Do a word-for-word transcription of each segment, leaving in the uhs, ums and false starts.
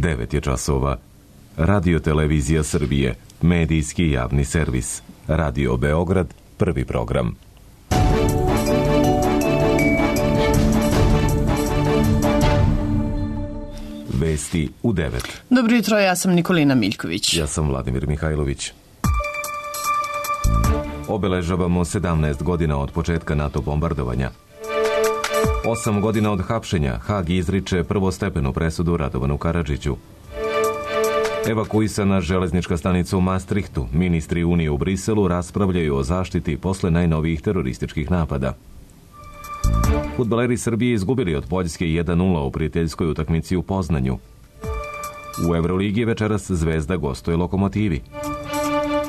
devet je časova. Radio Televizija Srbije, medijski javni servis. Radio Beograd, prvi program. Vesti u devet. Dobro jutro, ja sam Nikolina Miljković. Ja sam Vladimir Mihajlović. Obeležavamo sedamnaest godina od početka NATO bombardovanja. Osam godina od hapšenja, Hag izriče prvostepenu presudu Radovanu Karadžiću. Evakuisana železnička stanica u Maastrichtu. Ministri Unije u Briselu raspravljaju o zaštiti posle najnovijih terorističkih napada. Fudbaleri Srbije izgubili od Poljske jedan nula u prijateljskoj utakmici u Poznanju. U Evroligi večeras Zvezda gostuje Lokomotivi.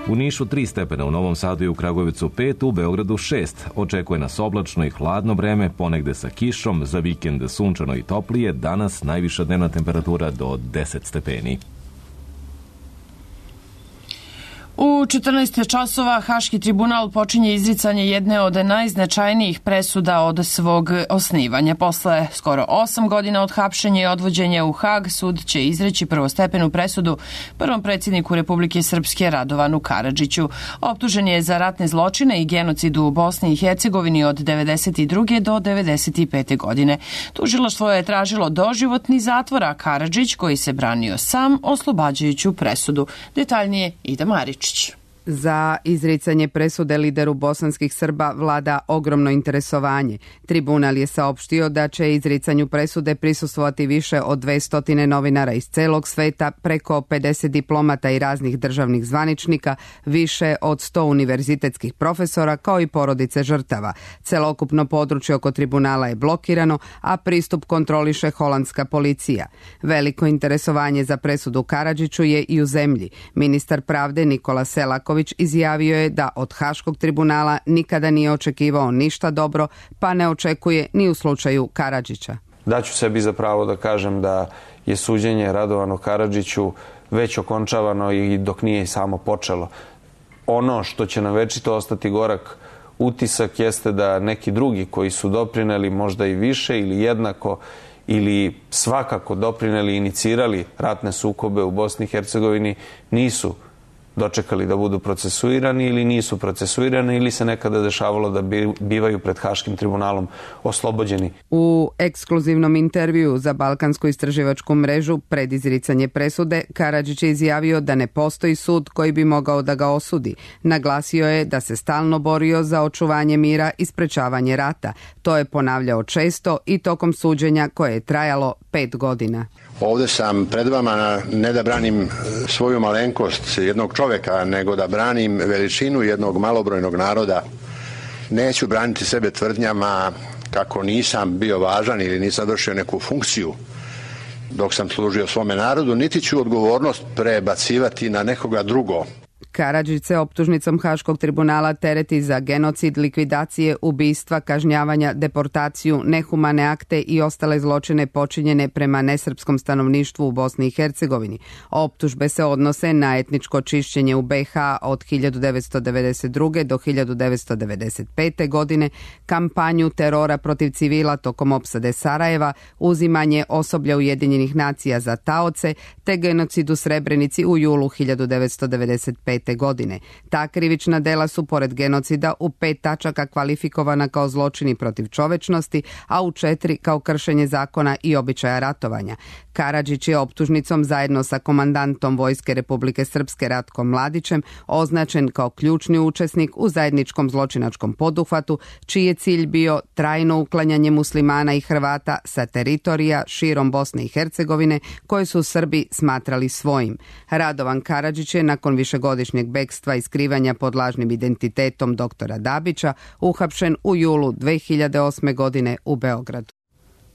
U Nišu tri stepena, u Novom Sadu i u Kragujevcu pet, u Beogradu šest. Očekuje nas oblačno i hladno vreme, ponegde sa kišom, za vikend sunčano i toplije, danas najviša dnevna temperatura do deset stepeni. U četrnaest časova Haški tribunal počinje izricanje jedne od najznačajnijih presuda od svog osnivanja. Posle skoro osam godina od hapšenja i odvođenja u Hag, sud će izreći prvostepenu presudu prvom predsjedniku Republike Srpske Radovanu Karadžiću. Optužen je za ratne zločine i genocid u Bosni i Hercegovini od devedeset druge do devedeset pete godine. Tužilaštvo je tražilo doživotni zatvor, a Karadžić, koji se branio sam, oslobađajuću presudu. Detaljnije Ida Marić. Za izricanje presude lideru bosanskih Srba vlada ogromno interesovanje. Tribunal je saopštio da će izricanju presude prisustvovati više od dvesta novinara iz celog sveta, preko pedeset diplomata i raznih državnih zvaničnika, više od sto univerzitetskih profesora, kao i porodice žrtava. Celokupno područje oko tribunala je blokirano, a pristup kontroliše holandska policija. Veliko interesovanje za presudu Karadžiću je i u zemlji. Ministar pravde Nikola Selaković izjavio je da od Haškog tribunala nikada nije očekivao ništa dobro, pa ne očekuje ni u slučaju Karadžića. Daću sebi za pravo da kažem da je suđenje Radovanu Karadžiću već okončavano i dok nije samo počelo. Ono što će nam večito ostati gorak utisak jeste da neki drugi koji su doprineli možda i više ili jednako ili svakako doprineli i inicirali ratne sukobe u Bosni i Hercegovini nisu dočekali da budu procesuirani ili nisu procesuirani ili se nekada dešavalo da bivaju pred Haškim tribunalom oslobođeni. U ekskluzivnom intervju za Balkansku istraživačku mrežu pred izricanje presude, Karadžić je izjavio da ne postoji sud koji bi mogao da ga osudi. Naglasio je da se stalno borio za očuvanje mira i sprečavanje rata. To je ponavljao često i tokom suđenja koje je trajalo pet godina. Ovde sam pred vama ne da branim svoju malenkost jednog čoveka, nego da branim veličinu jednog malobrojnog naroda. Neću braniti sebe tvrdnjama kako nisam bio važan ili nisam vršio neku funkciju dok sam služio svome narodu, niti ću odgovornost prebacivati na nekoga drugo. Karadžić se optužnicom Haškog tribunala tereti za genocid, likvidacije, ubistva, kažnjavanja, deportaciju, nehumane akte i ostale zločine počinjene prema nesrpskom stanovništvu u Bosni i Hercegovini. Optužbe se odnose na etničko čišćenje u be ha od hiljadu devetsto devedeset druge do hiljadu devetsto devedeset pete godine, kampanju terora protiv civila tokom opsade Sarajeva, uzimanje osoblja Ujedinjenih nacija za taoce, te genocid u Srebrenici u julu hiljadu devetsto devedeset pete godine. Ta krivična dela su pored genocida u pet tačaka kvalifikovana kao zločini protiv čovečnosti, a u četiri kao kršenje zakona i običaja ratovanja. Karadžić je optužnicom zajedno sa komandantom Vojske Republike Srpske Ratkom Mladićem označen kao ključni učesnik u zajedničkom zločinačkom poduhvatu, čiji je cilj bio trajno uklanjanje muslimana i Hrvata sa teritorija širom Bosne i Hercegovine koje su Srbi smatrali svojim. Radovan Karadžić je nakon višegodišnjeg bekstva i skrivanja pod lažnim identitetom doktora Dabića uhapšen u julu dve hiljade osme. godine u Beogradu.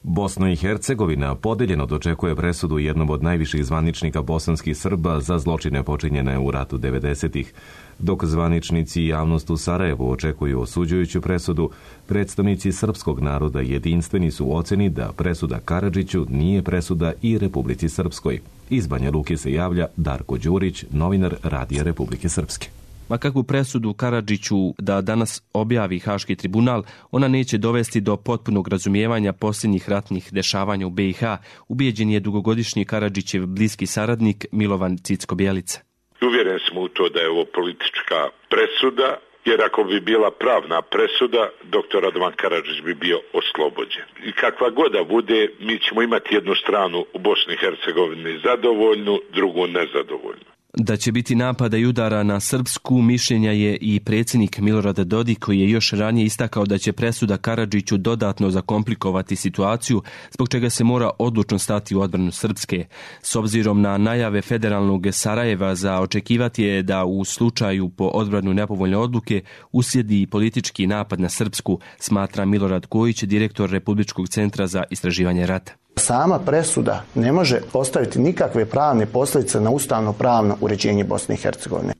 Bosna i Hercegovina podeljeno dočekuje presudu jednom od najviših zvaničnika bosanskih Srba za zločine počinjene u ratu devedesetih. Dok zvaničnici i javnost u Sarajevu očekuju osuđujuću presudu, predstavnici srpskog naroda jedinstveni su u oceni da presuda Karadžiću nije presuda i Republici Srpskoj. Iz Banja Luke se javlja Darko Đurić, novinar Radija Republike Srpske. Ma kakvu presudu Karadžiću da danas objavi Haški tribunal, ona neće dovesti do potpunog razumijevanja posljednjih ratnih dešavanja u B i H, ubijeđen je dugogodišnji Karadžićev bliski saradnik Milovan Cicko-Bjelica. Uvjeren smo u to da je ovo politička presuda, jer ako bi bila pravna presuda, doktor Radovan Karadžić bi bio oslobođen. I kakva god da bude, mi ćemo imati jednu stranu u Bosni i Hercegovini zadovoljnu, drugu nezadovoljnu. Da će biti napada i udara na Srpsku mišljenja je i predsjednik Milorad Dodik, koji je još ranije istakao da će presuda Karadžiću dodatno zakomplikovati situaciju, zbog čega se mora odlučno stati u odbranu Srpske. S obzirom na najave federalnog Sarajeva za očekivati je da u slučaju po odbranu nepovoljne odluke uslijedi politički napad na Srpsku, smatra Milorad Kojić, direktor Republičkog centra za istraživanje rata. Sama presuda ne može postaviti nikakve pravne posljedice na ustavno-pravno uređenje Bosne i Hercegovine.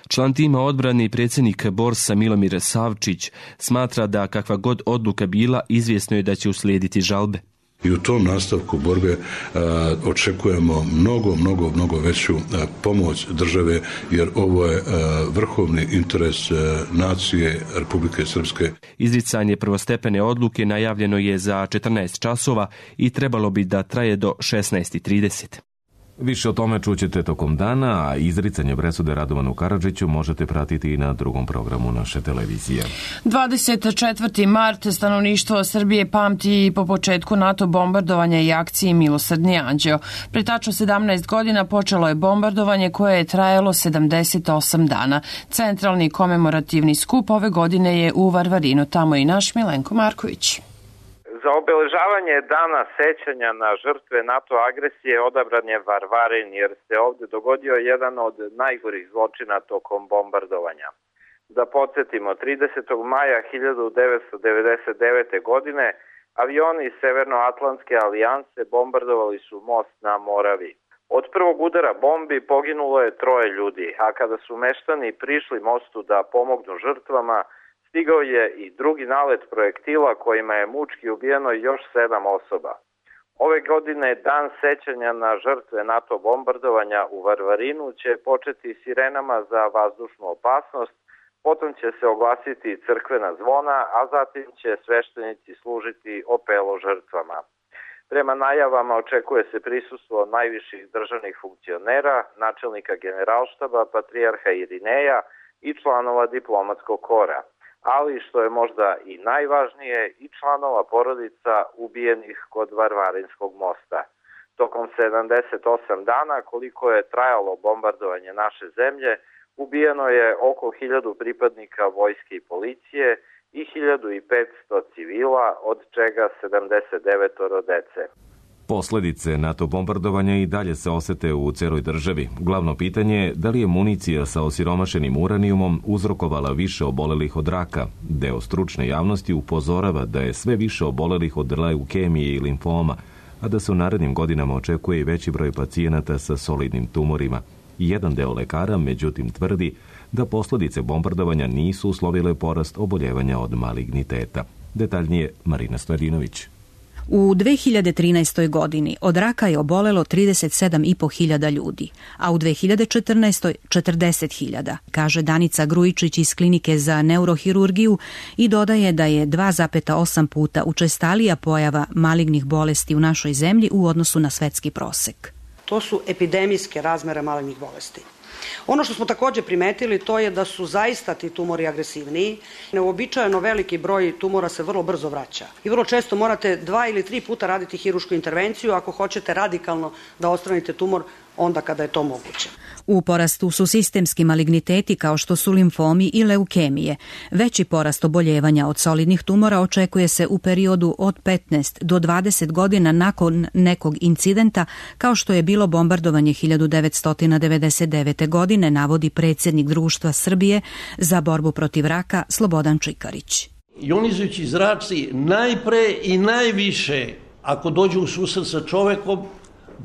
Član tima odbrane i predsjednik Borsa Milomir Savčić smatra da kakva god odluka bila, izvjesno je da će uslijediti žalbe. I u tom nastavku borbe a, očekujemo mnogo, mnogo, mnogo veću a, pomoć države, jer ovo je a, vrhovni interes a, nacije Republike Srpske. Izricanje prvostepene odluke najavljeno je za četrnaest časova i trebalo bi da traje do šesnaest i trideset. Više o tome čućete tokom dana, a izricanje presude Radovanu Karadžiću možete pratiti i na drugom programu naše televizije. dvadeset četvrti mart stanovništvo Srbije pamti po početku NATO bombardovanja i akciji Milosrdni anđeo. Pre tačno sedamnaest godina počelo je bombardovanje koje je trajalo sedamdeset osam dana. Centralni komemorativni skup ove godine je u Varvarinu, tamo i naš Milenko Marković. Za obeležavanje dana sećanja na žrtve NATO agresije odabran je Varvarin, jer se ovdje dogodio jedan od najgorih zločina tokom bombardovanja. Da podsjetimo, tridesetog maja hiljadu devetsto devedeset devete. godine avioni iz Severnoatlantske alijanse bombardovali su most na Moravi. Od prvog udara bombi poginulo je troje ljudi, a kada su meštani prišli mostu da pomognu žrtvama, stigao je i drugi nalet projektila kojima je mučki ubijeno još sedam osoba. Ove godine dan sećanja na žrtve NATO bombardovanja u Varvarinu će početi sirenama za vazdušnu opasnost, potom će se oglasiti crkvena zvona, a zatim će sveštenici služiti opelo žrtvama. Prema najavama očekuje se prisustvo najviših državnih funkcionera, načelnika generalštaba, patrijarha Irineja i članova diplomatskog kora, ali što je možda i najvažnije, i članova porodica ubijenih kod Varvarinskog mosta. Tokom sedamdeset osam dana, koliko je trajalo bombardovanje naše zemlje, ubijeno je oko hiljadu pripadnika vojske i policije i hiljadu petsto civila, od čega sedamdeset devet dece. Posljedice NATO bombardovanja i dalje se osete u cijeloj državi. Glavno pitanje je da li je municija sa osiromašenim uranijumom uzrokovala više obolelih od raka. Deo stručne javnosti upozorava da je sve više obolelih od leukemije i limfoma, a da se u narednim godinama očekuje i veći broj pacijenata sa solidnim tumorima. Jedan deo lekara, međutim, tvrdi da posljedice bombardovanja nisu uslovile porast oboljevanja od maligniteta. Detaljnije Marina Stojadinović. U dve hiljade trinaestoj. godini od raka je obolelo trideset sedam i po hiljada ljudi, a u dve hiljade četrnaestoj. četrdeset hiljada, kaže Danica Grujičić iz Klinike za neurohirurgiju i dodaje da je dva zarez osam puta učestalija pojava malignih bolesti u našoj zemlji u odnosu na svetski prosek. To su epidemijske razmere malignih bolesti. Ono što smo također primetili to je da su zaista ti tumori agresivniji. Neuobičajeno veliki broj tumora se vrlo brzo vraća. I vrlo često morate dva ili tri puta raditi hirušku intervenciju ako hoćete radikalno da odstranite tumor onda kada je to moguće. U porastu su sistemski maligniteti kao što su limfomi i leukemije. Veći porast oboljevanja od solidnih tumora očekuje se u periodu od petnaest do dvadeset godina nakon nekog incidenta kao što je bilo bombardovanje hiljadu devetsto devedeset devete. godine, navodi predsjednik Društva Srbije za borbu protiv raka Slobodan Čikarić. Ionizujući zraci najpre i najviše, ako dođu u susret sa čovekom,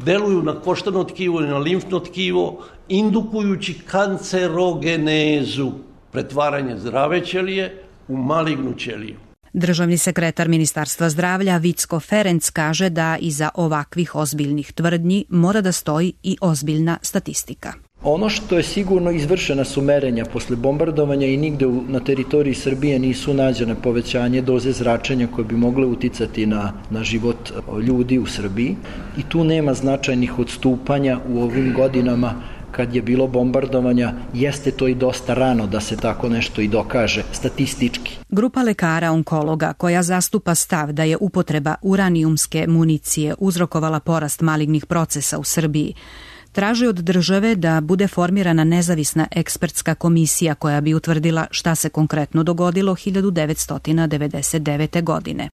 deluju na koštano tkivo i na limfno tkivo, indukujući kancerogenezu, pretvaranje zdrave ćelije u malignu ćeliju. Državni sekretar Ministarstva zdravlja Vicko Ferenc kaže da iza ovakvih ozbiljnih tvrdnji mora da stoji i ozbiljna statistika. Ono što je sigurno, izvršena su merenja posle bombardovanja i nigde na teritoriji Srbije nisu nađene povećanje doze zračenja koje bi mogle uticati na, na život ljudi u Srbiji i tu nema značajnih odstupanja u ovim godinama kad je bilo bombardovanja. Jeste to i dosta rano da se tako nešto i dokaže statistički. Grupa lekara onkologa koja zastupa stav da je upotreba uranijumske municije uzrokovala porast malignih procesa u Srbiji traži od države da bude formirana nezavisna ekspertska komisija koja bi utvrdila šta se konkretno dogodilo hiljadu devetsto devedeset devete. godine.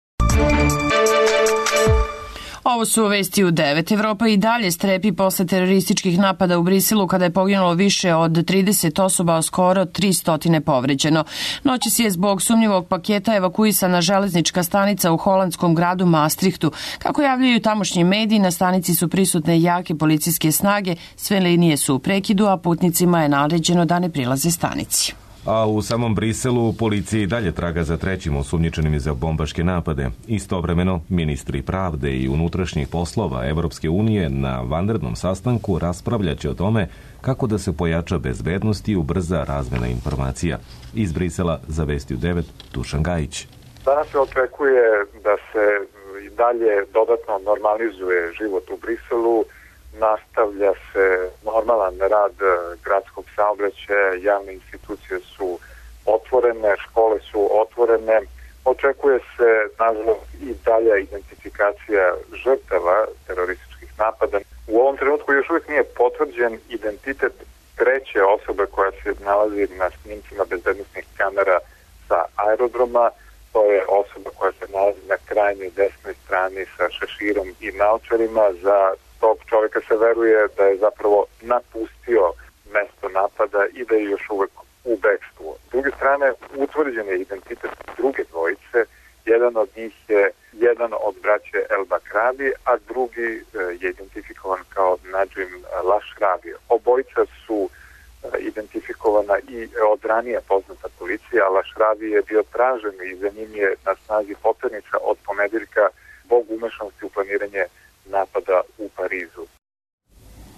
Ovo su vesti u devet. Evropa i dalje strepi posle terorističkih napada u Briselu kada je poginulo više od trideset osoba, a skoro tristo povređeno. Noćas je zbog sumnjivog paketa evakuisana železnička stanica u holandskom gradu Maastrichtu. Kako javljaju tamošnji mediji, na stanici su prisutne jake policijske snage, sve linije su u prekidu, a putnicima je naređeno da ne prilaze stanici. A u samom Briselu policija i dalje traga za trećim osumnjičenim za bombaške napade. Istovremeno, ministri pravde i unutrašnjih poslova Evropske unije na vanrednom sastanku raspravljaće o tome kako da se pojača bezbednost i ubrza razmena informacija. Iz Brisela za Vesti u devet, Dušan Gajić. Danas se očekuje da se i dalje dodatno normalizuje život u Briselu. Nastavlja se normalan rad gradskog saobraćaja, javne institucije su otvorene, škole su otvorene. Očekuje se, nažalost, i dalja identifikacija žrtava terorističkih napada. U ovom trenutku još uvijek nije potvrđen identitet treće osobe koja se nalazi na snimcima bezbednosnih kamera sa aerodroma. To je osoba koja se nalazi na krajnjoj desnoj strani sa šeširom i naočarima. Za tog čovjeka se veruje da je zapravo napustio mesto napada i da je još uvek u bekstvu. S druge strane, utvrđen je identitet druge dvojice. Jedan od njih je jedan od braće El Bakravi, a drugi je identifikovan kao Najim Lašravi. Obojica su identifikovana i od ranije poznata policija, a Lašravi je bio tražen i za njim je na snazi poternica od ponedeljka zbog umešanosti u planiranje napada u Parizu.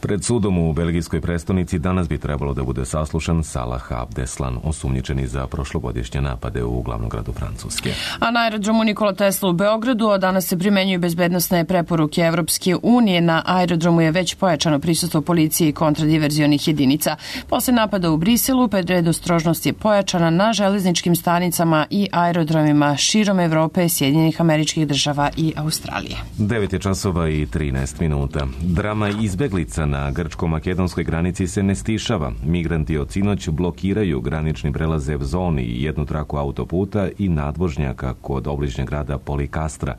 Pred sudom u belgijskoj prestonici danas bi trebalo da bude saslušan Salah Abdeslam, osumnjičeni za prošlogodišnje napade u glavnom gradu Francuske. A na aerodromu Nikola Tesla u Beogradu od danas se primenjuju bezbednosne preporuke Evropske unije. Na aerodromu je već pojačano prisustvo policije i kontradiverzionih jedinica. Posle napada u Briselu, predostrožnost je pojačana na železničkim stanicama i aerodromima širom Evrope, Sjedinjenih Američkih Država i Australije. devet je časova i trinaest minuta. Drama izbeglica na grčko-makedonskoj granici se ne stišava. Migranti od sinoć blokiraju granični prelaz Evzoni i jednu traku autoputa i nadvožnjaka kod obližnjeg grada Polikastra.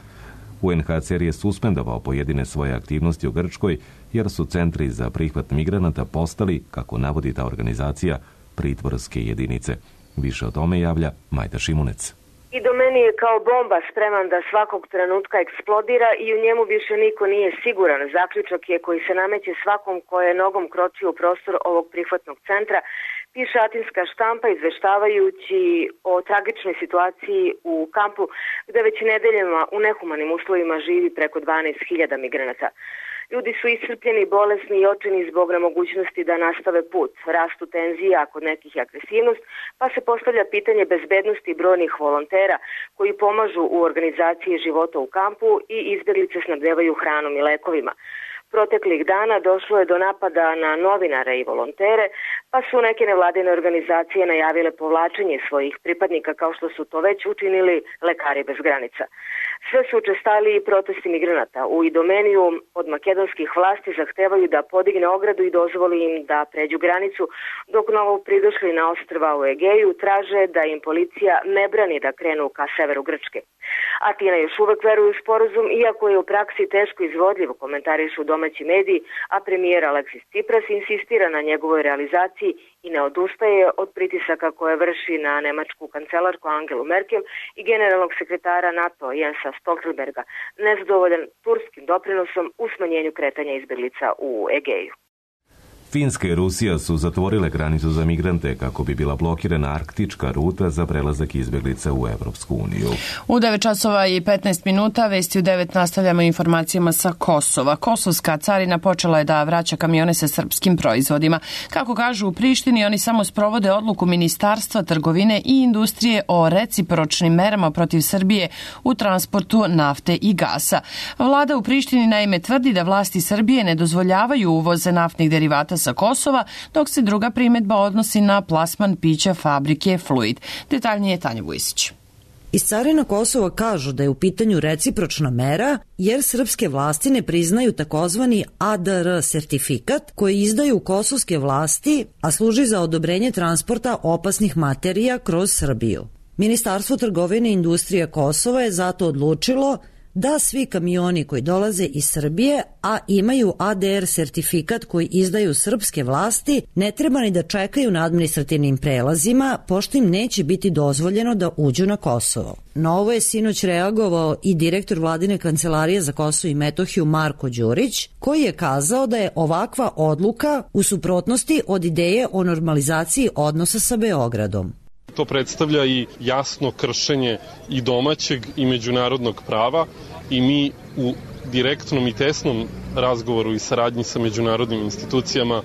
U en ha ce er je suspendovao pojedine svoje aktivnosti u Grčkoj jer su centri za prihvat migranata postali, kako navodi ta organizacija, pritvorske jedinice. Više o tome javlja Majda Šimunec. I do meni je kao bomba spreman da svakog trenutka eksplodira i u njemu više niko nije siguran. Zaključak je koji se nameće svakom ko je nogom kročio u prostor ovog prihvatnog centra, piše atinska štampa izveštavajući o tragičnoj situaciji u kampu gde već nedeljama u nehumanim uslovima živi preko dvanaest hiljada migranata. Ljudi su iscrpljeni, bolesni i očajni zbog nemogućnosti da nastave put. Rastu tenzije, a kod nekih je agresivnost, pa se postavlja pitanje bezbednosti brojnih volontera koji pomažu u organizaciji života u kampu i izbjeglice snabdevaju hranom i lekovima. Proteklih dana došlo je do napada na novinare i volontere, pa su neke nevladine organizacije najavile povlačenje svojih pripadnika kao što su to već učinili Lekari bez granica. Sve su učestali protesti migranata. U Idomeniju od makedonskih vlasti zahtevaju da podigne ogradu i dozvoli im da pređu granicu, dok novo pridošli na ostrva u Egeju traže da im policija ne brani da krenu ka severu Grčke. Atina još uvek veruje u sporazum, iako je u praksi teško izvodljivo, komentarišu domaći mediji, a premijer Aleksis Tsipras insistira na njegovoj realizaciji i ne odustaje od pritisaka koje vrši na nemačku kancelarku Angelu Merkel i generalnog sekretara NATO Jensa Stoltenberga, nezadovoljan turskim doprinosom u smanjenju kretanja izbjeglica u Egeju. Finska i Rusija su zatvorile granicu za migrante kako bi bila blokirana arktička ruta za prelazak izbjeglica u Evropsku uniju. U devet časova i petnaest minuta, vesti u devet nastavljamo informacijama sa Kosova. Kosovska carina počela je da vraća kamione sa srpskim proizvodima. Kako kažu u Prištini, oni samo sprovode odluku Ministarstva trgovine i industrije o recipročnim merama protiv Srbije u transportu nafte i gasa. Vlada u Prištini naime tvrdi da vlasti Srbije ne dozvoljavaju uvoze naftnih derivata sa Kosova, dok se druga primedba odnosi na plasman pića fabrike Fluid. Detaljnije Tanja Vujsić. Iz carina Kosova kažu da je u pitanju recipročna mera jer srpske vlasti ne priznaju takozvani A D R sertifikat koji izdaju kosovske vlasti, a služi za odobrenje transporta opasnih materija kroz Srbiju. Ministarstvo trgovine i industrije Kosova je zato odlučilo da svi kamioni koji dolaze iz Srbije, a imaju A D R sertifikat koji izdaju srpske vlasti, ne treba ni da čekaju na administrativnim prelazima, pošto im neće biti dozvoljeno da uđu na Kosovo. Na ovo je sinoć reagovao i direktor vladine kancelarije za Kosovo i Metohiju Marko Đurić, koji je kazao da je ovakva odluka u suprotnosti od ideje o normalizaciji odnosa sa Beogradom. To predstavlja i jasno kršenje i domaćeg i međunarodnog prava i mi u direktnom i tesnom razgovoru i saradnji sa međunarodnim institucijama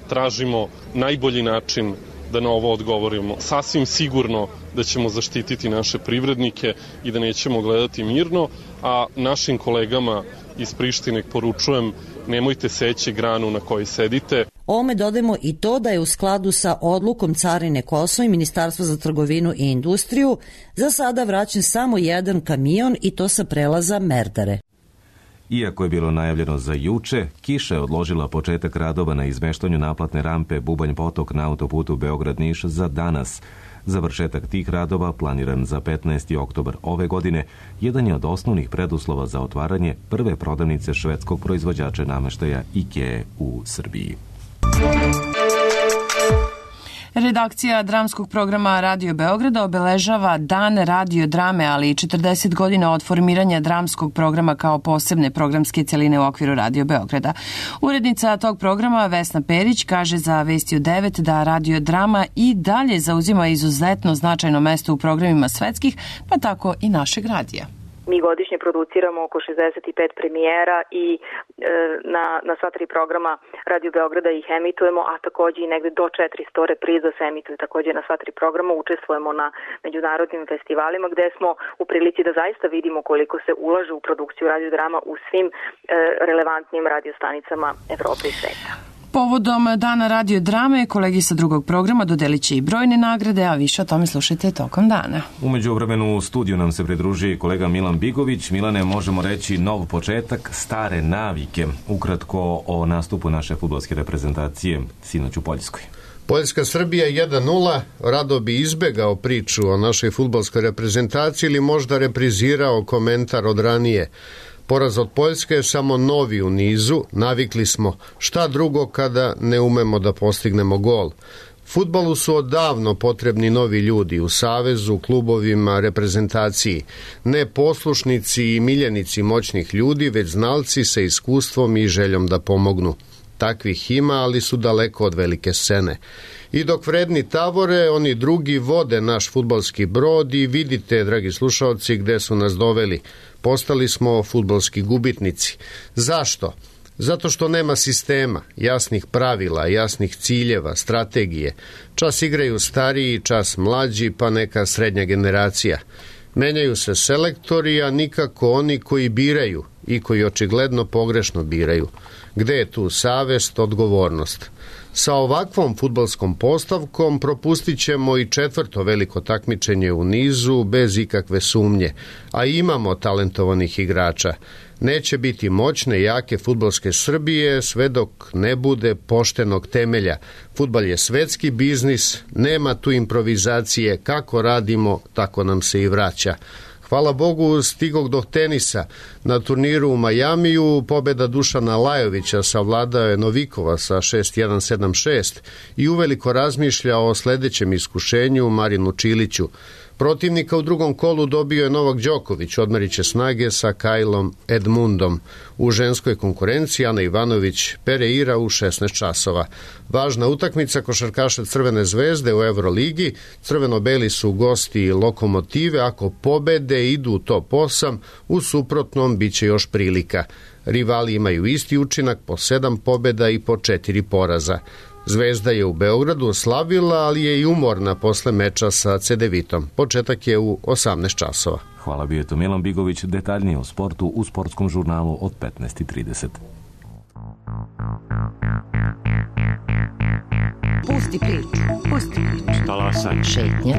tražimo najbolji način da na ovo odgovorimo. Sasvim sigurno da ćemo zaštititi naše privrednike i da nećemo gledati mirno, a našim kolegama iz Prištine poručujem nemojte seći granu na kojoj sedite. Ome dodajemo i to da je u skladu sa odlukom Carine Kosova i Ministarstva za trgovinu i industriju za sada vraćen samo jedan kamion i to sa prelaza Merdare. Iako je bilo najavljeno za juče, kiša je odložila početak radova na izmeštanju naplatne rampe Bubanj Potok na autoputu Beograd-Niš za danas. Završetak tih radova, planiran za petnaesti oktobar ove godine, jedan je od osnovnih preduslova za otvaranje prve prodavnice švedskog proizvođača nameštaja IKEA u Srbiji. Redakcija dramskog programa Radio Beograda obeležava Dan radio drame, ali i četrdeset godina od formiranja dramskog programa kao posebne programske celine u okviru Radio Beograda. Urednica tog programa Vesna Perić kaže za Vesti u devet da radio drama i dalje zauzima izuzetno značajno mesto u programima svetskih, pa tako i našeg radija. Mi godišnje produciramo oko šezdeset pet premijera i e, na, na sva tri programa Radio Beograda ih emitujemo, a takođe i negde do četiristo repriza se emituje takođe na sva tri programa. Učestvujemo na međunarodnim festivalima gde smo u prilici da zaista vidimo koliko se ulaže u produkciju radiodrama u svim e, relevantnim radiostanicama Evrope i sveta. Povodom Dana radio drame, kolegi sa drugog programa dodelit će i brojne nagrade, a više o tome slušajte tokom dana. U međuvremenu u studiju nam se pridruži kolega Milan Bigović. Milane, možemo reći nov početak, stare navike. Ukratko o nastupu naše fudbalske reprezentacije sinoć u Poljskoj. Poljska-Srbija jedan nula, rado bi izbegao priču o našoj fudbalskoj reprezentaciji ili možda reprizirao komentar od ranije. Poraz od Poljske je samo novi u nizu, navikli smo šta drugo kada ne umemo da postignemo gol. Fudbalu su odavno potrebni novi ljudi u savezu, klubovima, reprezentaciji. Ne poslušnici i miljenici moćnih ljudi, već znalci sa iskustvom i željom da pomognu. Takvih ima, ali su daleko od velike scene. I dok vredni tavore, oni drugi vode naš fudbalski brod i vidite, dragi slušalci, gde su nas doveli. Postali smo fudbalski gubitnici. Zašto? Zato što nema sistema, jasnih pravila, jasnih ciljeva, strategije. Čas igraju stariji, čas mlađi, pa neka srednja generacija. Menjaju se selektori, a nikako oni koji biraju i koji očigledno pogrešno biraju. Gde je tu savest, odgovornost? Sa ovakvom fudbalskom postavkom propustit ćemo i četvrto veliko takmičenje u nizu bez ikakve sumnje, a imamo talentovanih igrača. Neće biti moćne, jake fudbalske Srbije sve dok ne bude poštenog temelja. Fudbal je svetski biznis, nema tu improvizacije, kako radimo, tako nam se i vraća. Hvala Bogu, stigog do tenisa. Na turniru u Majamiju pobeda Dušana Lajovića savladao je Novikova sa šest jedan sedam šest i uveliko razmišlja o sledećem iskušenju Marinu Čiliću. Protivnika u drugom kolu dobio je Novak Đoković, odmerit će snage sa Kajlom Edmundom. U ženskoj konkurenciji Ana Ivanović Pereira u šesnaest časova. Važna utakmica košarkaša Crvene zvezde u Euroligi. Crveno-beli su gosti Lokomotive. Ako pobede, idu u top osam, u suprotnom biće još prilika. Rivali imaju isti učinak, po sedam pobeda i po četiri poraza. Zvezda je u Beogradu oslavila, ali je i umorna posle meča sa Cedevitom. Početak je u osamnaest časova. Hvala, bio je to Milan Bigović. Detaljnije o sportu u sportskom žurnalu od petnaest i trideset. Pusti priču, pusti priču. Talasanje. Šetnja.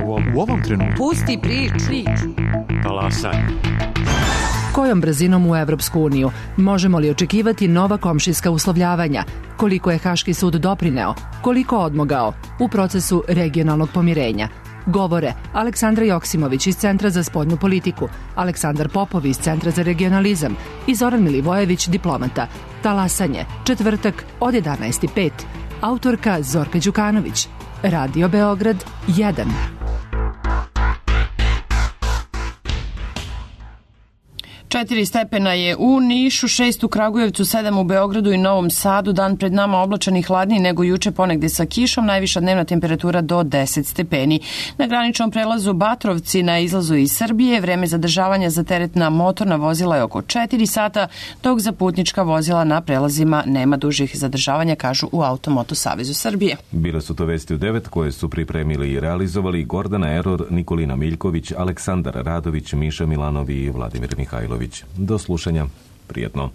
U ovom, u ovom trenutku. Pusti priču. priču. Talasanje. Kojom brzinom u Evropsku uniju? Možemo li očekivati nova komšijska uslovljavanja? Koliko je Haški sud doprineo? Koliko odmogao u procesu regionalnog pomirenja? Govore Aleksandra Joksimović iz Centra za spoljnu politiku, Aleksandar Popov iz Centra za regionalizam i Zoran Milivojević, diplomata. Talasanje, četvrtak od jedanaest i pet. Autorka Zorka Đukanović. Radio Beograd jedan. Četiri stepena je u Nišu, šest u Kragujevcu, sedam u Beogradu i Novom Sadu. Dan pred nama oblačan i hladniji nego juče, ponegde sa kišom, najviša dnevna temperatura do deset stepeni. Na graničnom prelazu Batrovci na izlazu iz Srbije vreme zadržavanja za teretna motorna vozila je oko četiri sata, dok za putnička vozila na prelazima nema dužih zadržavanja, kažu u Automoto Savezu Srbije. Bile su to vesti u devet koje su pripremili i realizovali Gordana Eror, Nikolina Miljković, Aleksandar Radović, Miša Milanovi i Vladimir Mihajlović. Do slušanja. Prijetno.